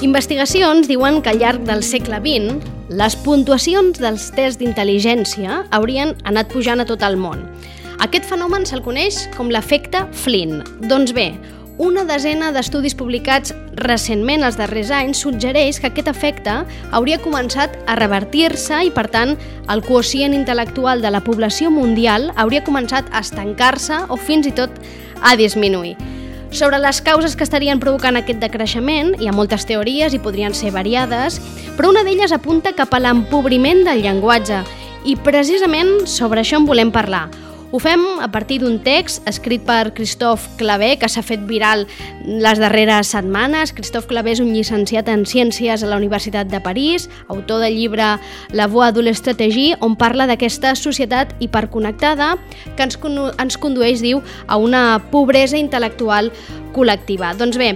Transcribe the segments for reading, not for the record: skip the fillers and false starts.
Investigacions diuen que al llarg del segle XX les puntuacions dels tests d'intel·ligència haurien anat pujant a tot el món. Aquest fenomen se'l coneix com l'efecte Flynn. Doncs bé, una desena d'estudis publicats recentment els darrers anys suggereix que aquest efecte hauria començat a revertir-se i, per tant, el quocient intel·lectual de la població mundial hauria començat a estancar-se o fins i tot a disminuir. Sobre les causes que estarien provocant aquest decreixement hi ha moltes teories i podrien ser variades, però una d'elles apunta cap a l'empobriment del llenguatge i precisament sobre això en volem parlar. Ho fem a partir d'un text escrit per Christophe Clavé, que s'ha fet viral les darreres setmanes. Christophe Clavé és un llicenciat en Ciències a la Universitat de París, autor del llibre La voie de l'estratégie, on parla d'aquesta societat hiperconnectada que ens condueix, diu, a una pobresa intel·lectual col·lectiva. Doncs bé,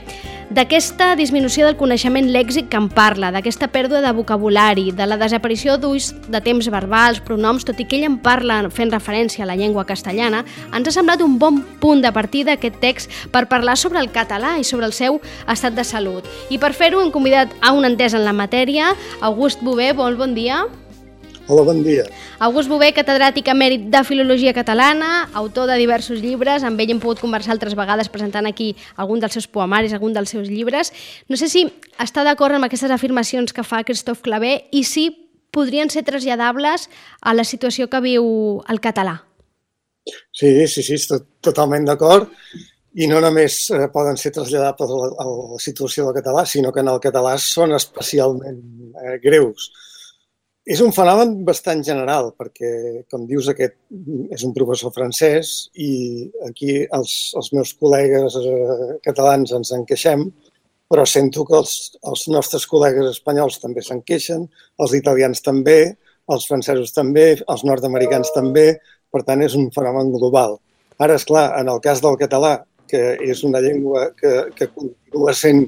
d'aquesta disminució del coneixement lèxic que en parla, d'aquesta pèrdua de vocabulari, de la desaparició d'ús de temps verbals, pronoms, tot i que ell en parla fent referència a la llengua castellana, ens ha semblat un bon punt de partida aquest text per parlar sobre el català i sobre el seu estat de salut. I per fer-ho hem convidat a un entès en la matèria, August Bové, bon dia. Hola, bon dia. August Bové, catedràtic emèrit de Filologia Catalana, autor de diversos llibres, amb ell hem pogut conversar altres vegades presentant aquí algun dels seus poemaris, algun dels seus llibres. No sé si està d'acord amb aquestes afirmacions que fa Christophe Clavé i si podrien ser traslladables a la situació que viu el català. Sí, estic totalment d'acord. I no només poden ser traslladables a la situació del català, sinó que en el català són especialment greus. És un fenomen bastant general, perquè, com dius, aquest és un professor francès i aquí els meus col·legues catalans ens en queixem, però sento que els nostres col·legues espanyols també se'n queixen, els italians també, els francesos també, els nord-americans també, per tant és un fenomen global. Ara, esclar, en el cas del català, que és una llengua que continua sent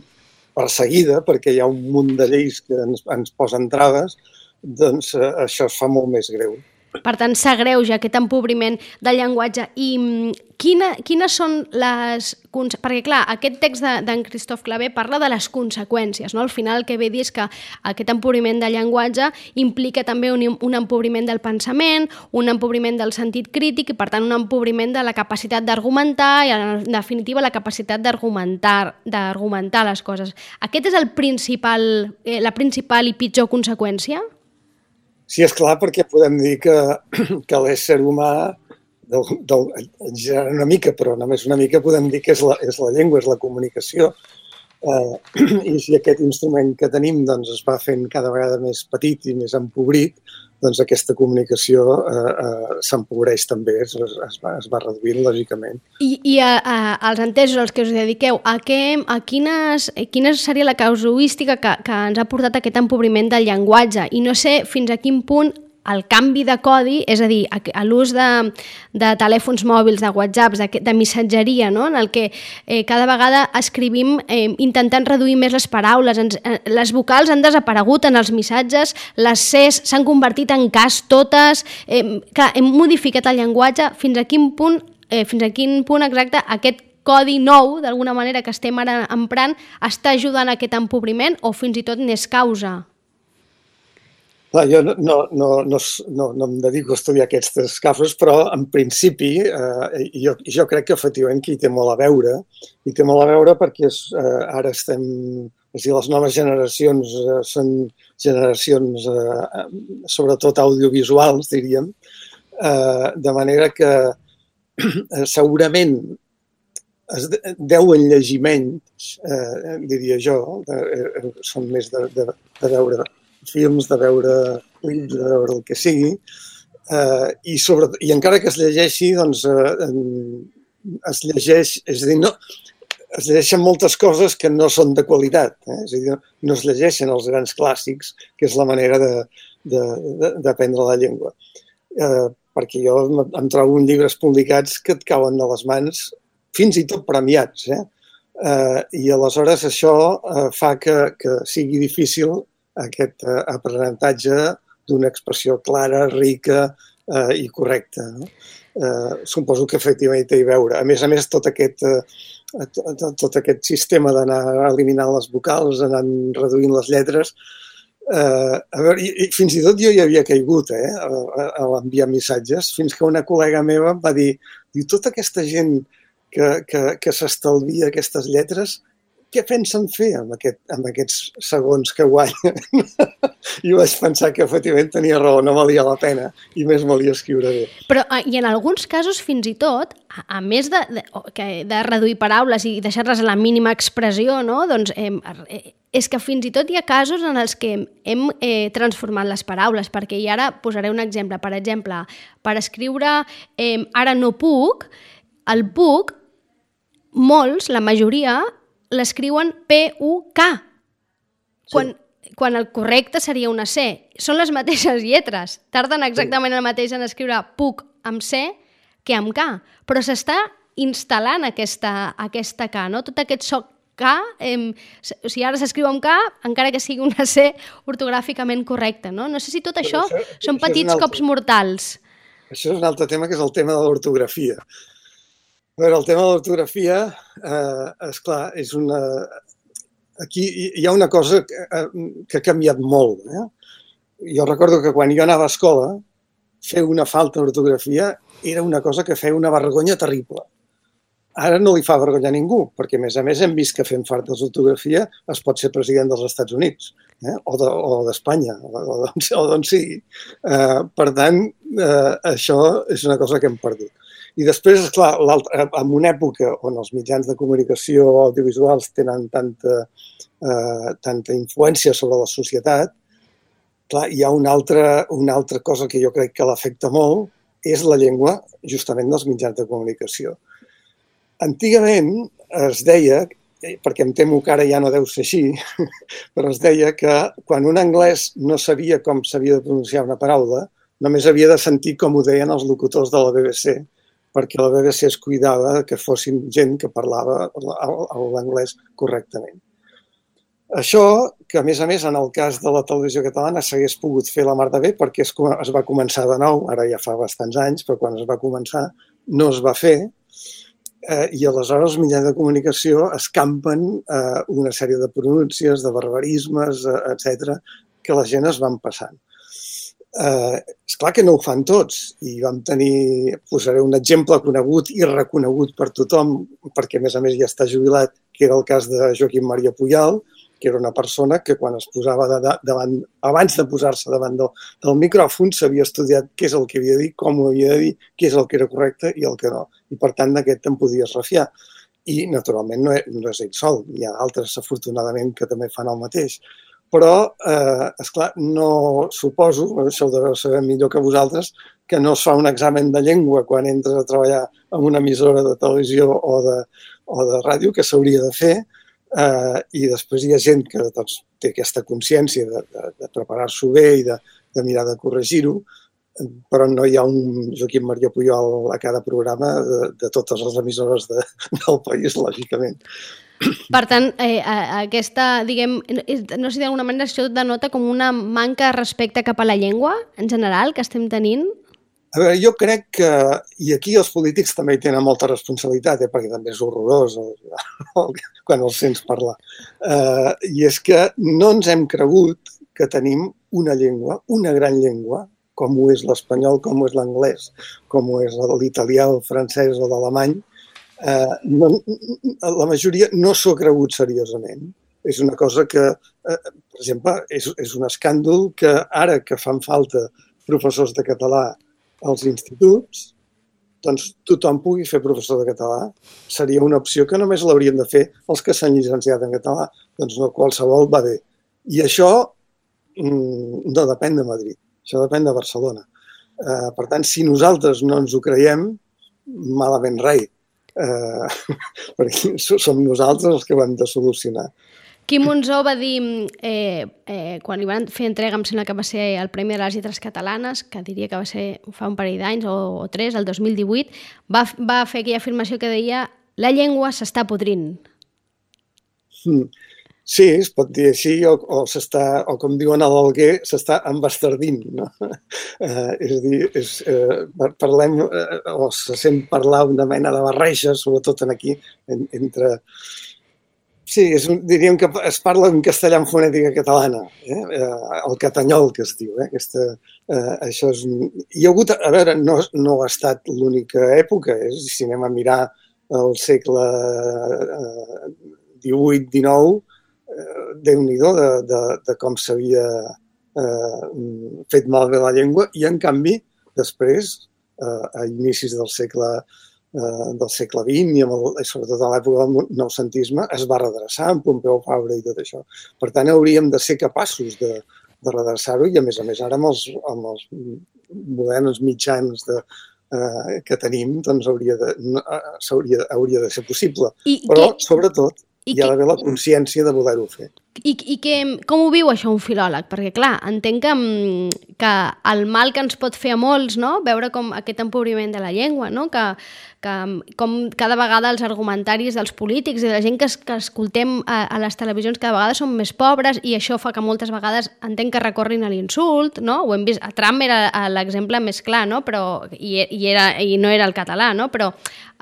perseguida perquè hi ha un munt de lleis que ens posen traves, doncs això es fa molt més greu. Per tant, s'agreuja aquest empobriment del llenguatge. I quines són les... Perquè, clar, aquest text d'en Christophe Clavé parla de les conseqüències, no? Al final el que ve dir és que aquest empobriment del llenguatge implica també un empobriment del pensament, un empobriment del sentit crític i, per tant, un empobriment de la capacitat d'argumentar i, en definitiva, la capacitat d'argumentar les coses. Aquest és la principal i pitjor conseqüència? Sí, és clar, perquè podem dir que l'ésser humà, una mica, però només una mica, podem dir que és la llengua, és la comunicació. I si aquest instrument que tenim es va fent cada vegada més petit i més empobrit, doncs aquesta comunicació s'empobreix també, es va reduint lògicament. I als entesos als que us dediqueu, a quina seria la casuística que ens ha portat aquest empobriment del llenguatge? I no sé fins a quin punt el canvi de codi, és a dir, l'ús de telèfons mòbils, de whatsapps, de missatgeria, no? En el que cada vegada escrivim intentant reduir més les paraules, les vocals han desaparegut en els missatges, les Cs s'han convertit en Ks totes, hem modificat el llenguatge, fins a quin punt exacte aquest codi nou, d'alguna manera que estem ara emprant, està ajudant a aquest empobriment o fins i tot n'és causa? Clar, jo no em dedico a estudiar aquestes casos, però en principi jo crec que efectivament que hi té molt a veure. Hi té molt a veure perquè ara estem... És a dir, les noves generacions són generacions sobretot audiovisuals, diríem, de manera que segurament es deuen llegir menys, diria jo, són més de veure films, de veure clips, de veure el que sigui, i encara que es llegeixi, doncs es llegeix, és a dir, es llegeixen moltes coses que no són de qualitat, és a dir, no es llegeixen els grans clàssics, que és la manera d'aprendre la llengua. Perquè jo em trobo en llibres publicats que et cauen de les mans, fins i tot premiats, i aleshores això fa que sigui difícil aquest aprenentatge d'una expressió clara, rica i correcta. Suposo que efectivament té a veure. A més, tot aquest tot aquest sistema d'anar eliminant les vocals, anar reduint les lletres. A veure, i fins i tot jo hi havia caigut a l'enviar missatges, fins que una col·lega meva va dir, tota aquesta gent que s'estalvia aquestes lletres, què pensen fer amb aquests segons que guanyen? I vaig pensar que efectivament tenia raó, no valia la pena i més valia escriure bé. Però, i en alguns casos, fins i tot, a més de reduir paraules i deixar-les a la mínima expressió, no? Doncs és que fins i tot hi ha casos en els que hem transformat les paraules, perquè i ara posaré un exemple. Per exemple, per escriure ara no puc, el puc, molts, la majoria, l'escriuen P-U-K, quan el correcte seria una C. Són les mateixes lletres. Tarden exactament el mateix en escriure puc amb C que amb K, però s'està instal·lant aquesta K, no? Tot aquest so K, o sigui, ara s'escriu amb K, encara que sigui una C ortogràficament correcta, no? No sé si tot això són petits cops mortals. Això és un altre tema, que és el tema de l'ortografia. A veure, el tema de l'ortografia, esclar, és una... Aquí hi ha una cosa que ha canviat molt. Jo recordo que quan jo anava a escola, fer una falta d'ortografia era una cosa que feia una vergonya terrible. Ara no li fa vergonya a ningú, perquè a més hem vist que fent faltes d'ortografia es pot ser president dels Estats Units, o d'Espanya, o d'on sigui. Per tant, això és una cosa que hem perdut. I després, esclar, en una època on els mitjans de comunicació audiovisuals tenen tanta influència sobre la societat, clar, hi ha una altra cosa que jo crec que l'afecta molt, és la llengua, justament, dels mitjans de comunicació. Antigament es deia, perquè em temo que ara ja no deu ser així, però es deia que quan un anglès no sabia com s'havia de pronunciar una paraula, només havia de sentir com ho deien els locutors de la BBC, perquè la BBC es cuidava que fossin gent que parlava l'anglès correctament. Això, que a més, en el cas de la televisió catalana s'hagués pogut fer la mar de bé, perquè es va començar de nou, ara ja fa bastants anys, però quan es va començar no es va fer, i aleshores els mitjans de comunicació escampen una sèrie de pronúncies, de barbarismes, etc., que la gent es van passant. Esclar que no ho fan tots, i vam tenir, posaré un exemple conegut i reconegut per tothom, perquè a més ja està jubilat, que era el cas de Joaquim Maria Pujal, que era una persona que quan es posava abans de posar-se davant del micròfon s'havia estudiat què és el que havia de dir, com ho havia de dir, què és el que era correcte i el que no. I per tant d'aquest te'n podies refiar. I naturalment no és ell sol, hi ha altres afortunadament que també fan el mateix. Però, esclar, no suposo, això ho deveu saber millor que vosaltres, que no es fa un examen de llengua quan entres a treballar en una emissora de televisió o de ràdio, que s'hauria de fer, i després hi ha gent que té aquesta consciència de preparar-s'ho bé i de mirar de corregir-ho, però no hi ha un Joaquim Maria Pujol a cada programa de totes les emissores del país, lògicament. Per tant, aquesta, diguem, no sé si d'alguna manera això denota com una manca de respecte cap a la llengua, en general, que estem tenint? A veure, jo crec que, i aquí els polítics també hi tenen molta responsabilitat, perquè també és horrorós quan els sents parlar, i és que no ens hem cregut que tenim una llengua, una gran llengua, com ho és l'espanyol, com ho és l'anglès, com ho és l'italià, el francès o l'alemany. La majoria no s'ho ha cregut seriosament. És una cosa que, per exemple, és un escàndol que ara que fan falta professors de català als instituts, doncs tothom pugui fer professor de català. Seria una opció que només l'haurien de fer els que s'han llicenciat en català. Doncs no, qualsevol va bé. I això no depèn de Madrid, això depèn de Barcelona. Per tant, si nosaltres no ens ho creiem, malament rai. Perquè som nosaltres els que ho hem de solucionar. Quim Monzó va dir, quan li van fer entrega, em sembla que va ser el Premi de les Lletres Catalanes, que diria que va ser fa un parell d'anys o 3, el 2018, va fer aquella afirmació que deia la llengua s'està podrint. Sí, es pot dir així, o com diuen a l'Alguer, s'està embastardint, no? És a dir, parlem, o se sent parlar una mena de barreja, sobretot aquí, entre... Sí, diríem que es parla en castellà en fonètica catalana, el catanyol que es diu. Això és... Hi ha hagut, a veure, no ha estat l'única època, si anem a mirar el segle XVIII-XIX, Déu-n'hi-do de com s'havia fet malbé la llengua, i en canvi, després, a inicis del segle XX i sobretot a l'època del noucentisme, es va redreçar amb Pompeu Fabra i tot això. Per tant, hauríem de ser capaços de redreçar-ho i, a més, ara amb els moderns mitjans que tenim, doncs hauria de ser possible. Però, sobretot, hi ha d'haver la consciència de voler-ho fer. I com ho viu això un filòleg? Perquè, clar, entenc que el mal que ens pot fer a molts, no?, veure com aquest empobriment de la llengua, no?, que com cada vegada els argumentaris dels polítics i de la gent que escoltem a les televisions cada vegada són més pobres, i això fa que moltes vegades entenc que recorrin a l'insult, no? Ho hem vist, a Trump era l'exemple més clar, no? Però, i no era el català, no? Però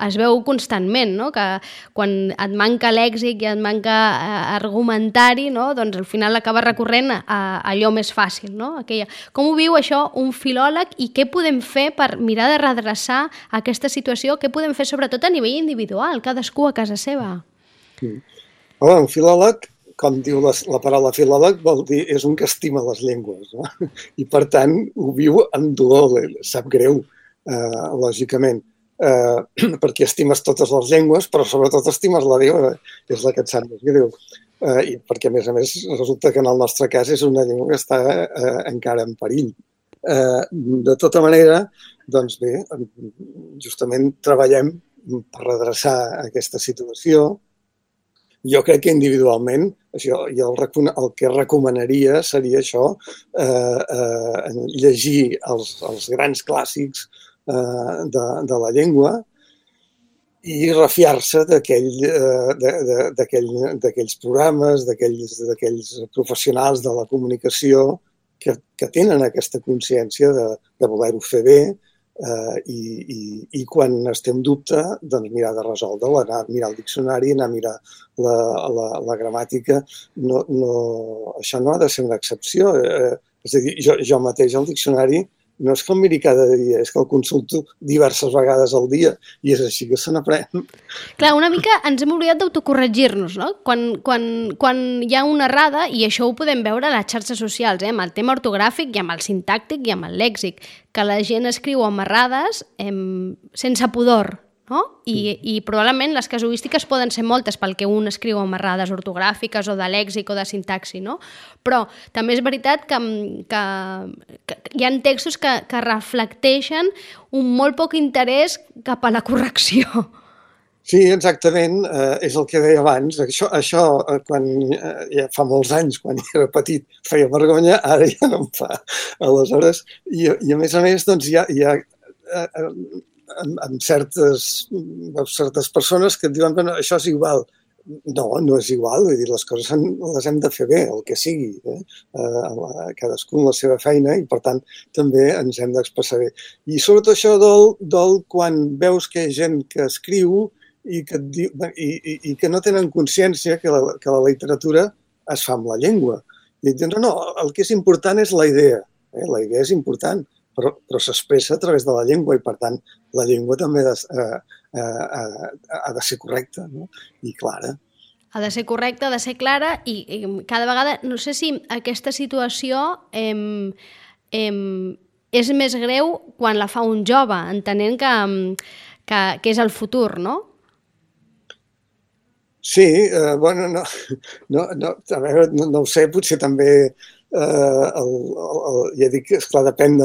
es veu constantment, no?, que quan et manca lèxic i et manca argumentari, no?, doncs al final acaba recorrent a allò més fàcil, no? Com ho viu això un filòleg i què podem fer per mirar de redreçar aquesta situació? Què podem fer sobretot a nivell individual, cadascú a casa seva? Un filòleg, com diu la paraula filòleg, vol dir és un que estima les llengües, no? I per tant ho viu amb dolor, sap greu, lògicament, perquè estimes totes les llengües, però sobretot estimes la llengua, és la que et sap més greu. I perquè, a més, resulta que en el nostre cas és una llengua que està encara en perill. De tota manera, doncs bé, justament treballem per redreçar aquesta situació. Jo crec que individualment, el que recomanaria seria això, llegir els grans clàssics de la llengua i refiar-se d'aquells programes, d'aquells professionals de la comunicació que tenen aquesta consciència de voler-ho fer bé i quan es té en dubte, doncs mirar de resoldre'l, anar a mirar el diccionari, anar a mirar la gramàtica. Això no ha de ser una excepció. És a dir, jo mateix al diccionari no és que el miri cada dia, és que el consulto diverses vegades al dia i és així que se n'aprèn. Clar, una mica ens hem oblidat d'autocorregir-nos, no? Quan hi ha una errada, i això ho podem veure a les xarxes socials, amb el tema ortogràfic i amb el sintàctic i amb el lèxic, que la gent escriu amb errades sense pudor, no? I probablement les casuístiques poden ser moltes pel que un escriu amb errades ortogràfiques o de lèxic o de sintaxi, no? Però també és veritat que hi ha textos que reflecteixen un molt poc interès cap a la correcció. Sí, exactament, és el que deia abans. Això quan ja fa molts anys, quan era petit, feia vergonya, ara ja no em fa. Aleshores, i a més, doncs, hi ha amb certes persones que et diuen que això és igual. No és igual, vull dir, les coses les hem de fer bé, el que sigui, cadascú amb la seva feina, i per tant també ens hem d'expressar bé. I sobretot això dol quan veus que hi ha gent que escriu i que no tenen consciència que la literatura es fa amb la llengua. I et diuen, no, el que és important és la idea, la idea és important, però s'expressa a través de la llengua i, per tant, la llengua també ha de ser correcta, no? I clara. Ha de ser correcta, ha de ser clara, i cada vegada, no sé si aquesta situació és més greu quan la fa un jove, entenent que és el futur, no? Sí, bueno, a veure, no ho sé, potser també ja dic, esclar, depèn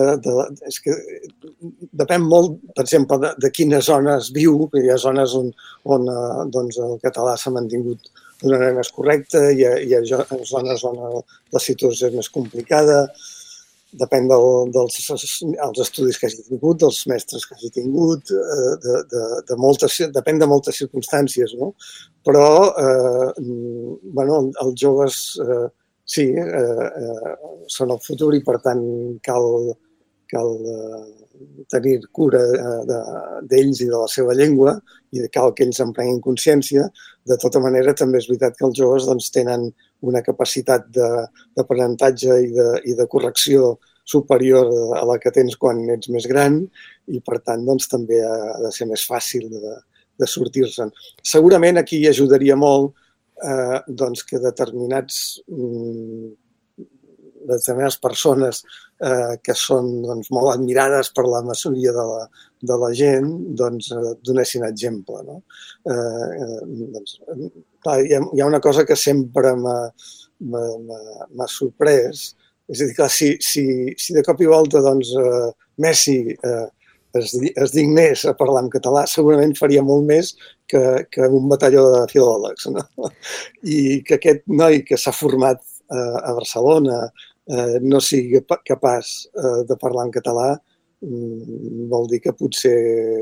molt, per exemple, de quines zones viu, perquè hi ha zones on el català s'ha mantingut d'una manera més correcta, hi ha zones on la situació és més complicada, depèn dels estudis que hagi tingut, dels mestres que hagi tingut, depèn de moltes circumstàncies, no? Però els joves sí, són el futur i per tant cal tenir cura d'ells i de la seva llengua i cal que ells en prenguin consciència. De tota manera, també és veritat que els joves doncs, tenen una capacitat d'aprenentatge i de correcció superior a la que tens quan ets més gran i, per tant, doncs, també ha de ser més fàcil de sortir-se'n. Segurament aquí hi ajudaria molt doncs, que determinades persones que són doncs, molt admirades per la majoria de la gent doncs, donessin exemple. No? Doncs, clar, hi ha una cosa que sempre m'ha sorprès, és a dir, clar, si de cop i volta doncs, Messi es dignés a parlar en català, segurament faria molt més que un batalló de filòlegs. No? I que aquest noi que s'ha format a Barcelona no sigui capaç de parlar en català vol dir que potser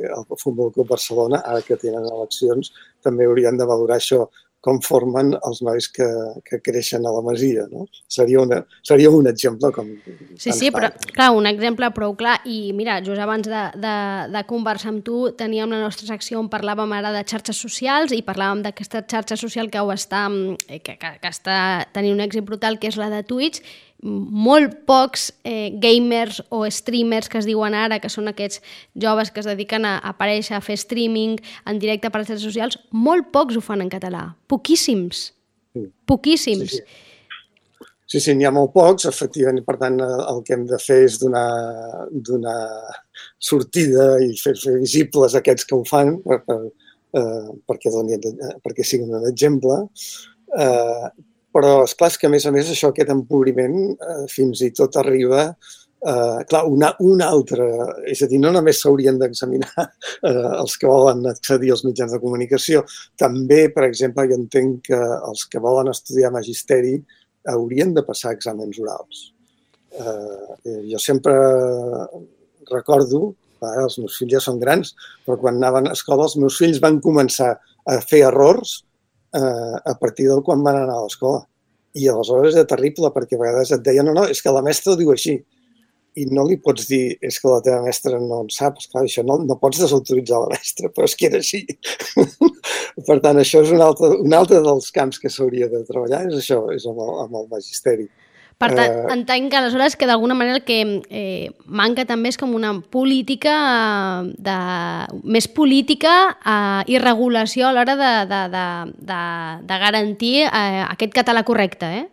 el Futbol Club Barcelona, ara que tenen eleccions, també haurien de valorar això, com formen els nois que creixen a la Masia. No? Seria un exemple com... Sí, però clar, un exemple prou clar. I mira, just abans de conversar amb tu teníem la nostra secció on parlàvem ara de xarxes socials i parlàvem d'aquesta xarxa social que està tenint un èxit brutal, que és la de Twitch. Molt pocs gamers o streamers que es diuen ara, que són aquests joves que es dediquen a aparèixer, a fer streaming en directe per les xarxes socials, molt pocs ho fan en català. Poquíssims. Poquíssims. Sí, n'hi ha molt pocs, efectivament, per tant, el que hem de fer és donar sortida i fer visibles aquests que ho fan perquè siguin un exemple. Però, esclar, és que, a més, això, aquest empobriment fins i tot arriba... Clar, una altra... És a dir, no només s'haurien d'examinar els que volen accedir als mitjans de comunicació. També, per exemple, jo entenc que els que volen estudiar magisteri haurien de passar exàmens orals. Jo sempre recordo, els meus fills ja són grans, però quan anaven a escola els meus fills van començar a fer errors a partir del quan van anar a l'escola. I aleshores era terrible, perquè a vegades et deien no, és que la mestra ho diu així. I no li pots dir, és que la teva mestra no en sap. Esclar, això no pots desautoritzar la mestra, però és que era així. Per tant, això és un altre dels camps que s'hauria de treballar, és això, és amb el magisteri. Per tant, entenc que aleshores que d'alguna manera el que manca també és com una política més política i regulació a l'hora de garantir aquest català correcte,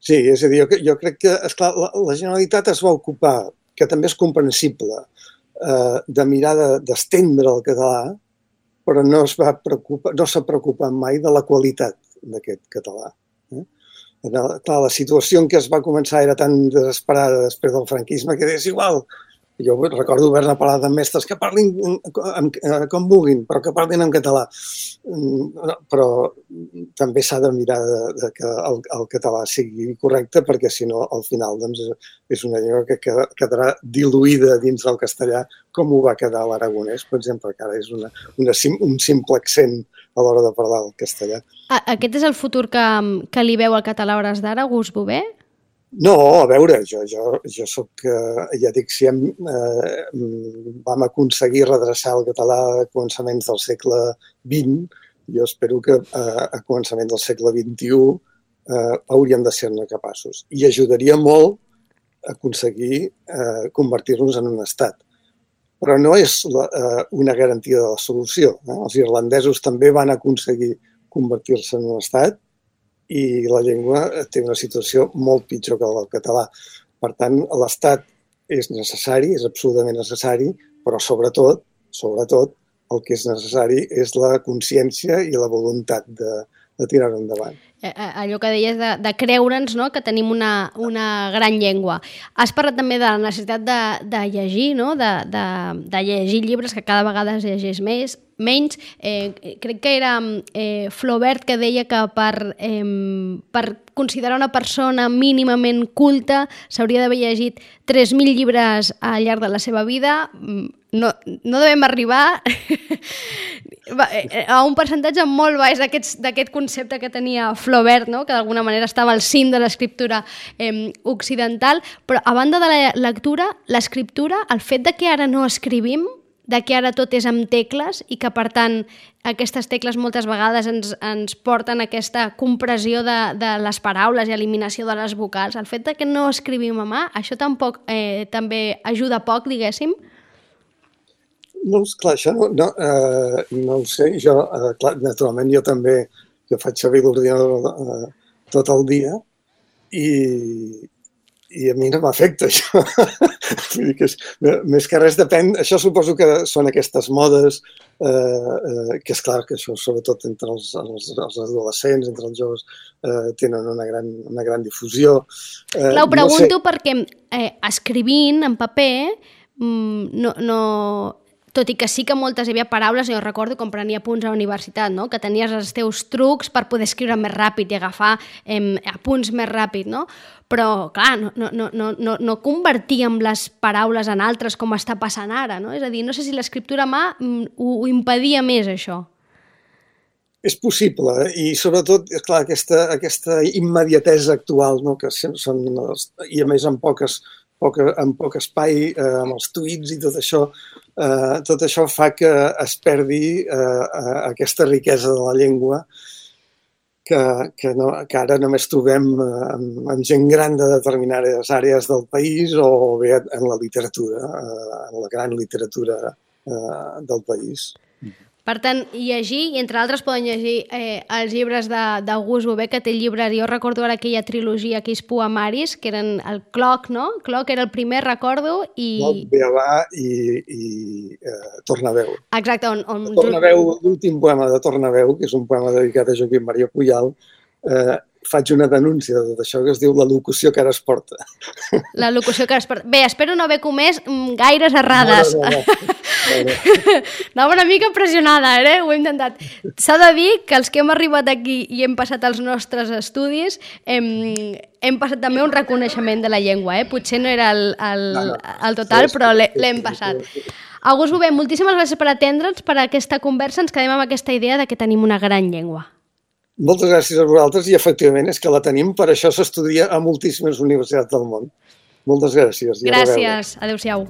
Sí, és a dir, jo crec que, esclar, la Generalitat es va ocupar, que també és comprensible, de mirar d'estendre el català, però no s'ha preocupat mai de la qualitat d'aquest català. Clar, la situació en què es va començar era tan desesperada després del franquisme que és igual. Jo recordo haver-ne parlat amb mestres que parlin com vulguin, però que parlin en català. Però també s'ha de mirar que el català sigui correcte, perquè si no, al final doncs, és una llengua que quedarà diluïda dins del castellà, com ho va quedar l'aragonès, per exemple, que ara és un simple accent a l'hora de parlar el castellà. Aquest és el futur que li veu al català a hores d'ara, Gus Bové? No, a veure, jo soc, ja dic, si vam aconseguir redreçar el català a començaments del segle XX, jo espero que a començaments del segle XXI hauríem de ser-ne capaços. I ajudaria molt a aconseguir convertir-nos en un estat. Però no és una garantia de la solució. Els irlandesos també van aconseguir convertir-se en un estat i la llengua té una situació molt pitjor que la del català. Per tant, l'estat és necessari, és absolutament necessari, però sobretot, el que és necessari és la consciència i la voluntat de tirar-ho endavant. Allò que deies de creure'ns, no?, que tenim una gran llengua. Has parlat també de la necessitat de llegir, no?, de llegir llibres, que cada vegada es llegeix més. menys. Crec que era Flaubert que deia que per considerar una persona mínimament culta s'hauria d'haver llegit 3.000 llibres al llarg de la seva vida. No devem arribar a un percentatge molt baix d'aquest concepte que tenia Flaubert, no? Que d'alguna manera estava al cim de l'escriptura occidental, però a banda de la lectura, l'escriptura, el fet de que ara no escrivim, de que ara tot és amb tecles i que, per tant, aquestes tecles moltes vegades ens porten a aquesta compressió de les paraules i eliminació de les vocals. El fet de que no escrivim a mà, això tampoc també ajuda poc, diguéssim? No, esclar, això no ho sé. Jo, clar, naturalment, jo faig servir l'ordinador tot el dia i a mi no m'afecta això. Vull dir que més que res depèn. Això suposo que són aquestes modes, que és clar que això, sobretot entre els adolescents, entre els joves, tenen una gran difusió. Clar, ho pregunto perquè escrivint en paper tot i que sí que moltes hi havia paraules, jo recordo com prenia apunts a la universitat, no? Que tenies els teus trucs per poder escriure més ràpid i agafar apunts més ràpid, no? Però, clar, no convertíem les paraules en altres com està passant ara, no? És a dir, no sé si l'escriptura a mà ho impedia més, això. És possible, i sobretot, esclar, aquesta immediatesa actual, no? Que són, i a més en poc espai, amb els tuits i tot això fa que es perdi aquesta riquesa de la llengua que ara només trobem en gent gran de determinades àrees del país o bé en la literatura, en la gran literatura del país. Per tant, llegir, i entre altres poden llegir els llibres d'August Bové, que té llibres, jo recordo ara aquella trilogia, aquells poemaris, que eren el Cloc, no? Cloc era el primer, recordo, i... Cloc, Beabà i Tornaveu. Exacte, Tornaveu, l'últim poema de Tornaveu, que és un poema dedicat a Joaquim Maria Pujal, faig una denúncia de tot això que es diu la locució que ara es porta. La locució que ara es porta. Bé, espero no haver comès gaires errades. No. Anava una mica pressionada, ho he intentat. S'ha de dir que els que hem arribat aquí i hem passat els nostres estudis hem passat també un reconeixement de la llengua. Potser no era el total, però l'hem passat. August Bové, moltíssimes gràcies per atendre'ns, per aquesta conversa. Ens quedem amb aquesta idea de que tenim una gran llengua. Moltes gràcies a vosaltres i efectivament és que la tenim, per això s'estudia a moltíssimes universitats del món. Moltes gràcies. Gràcies, adéu-siau.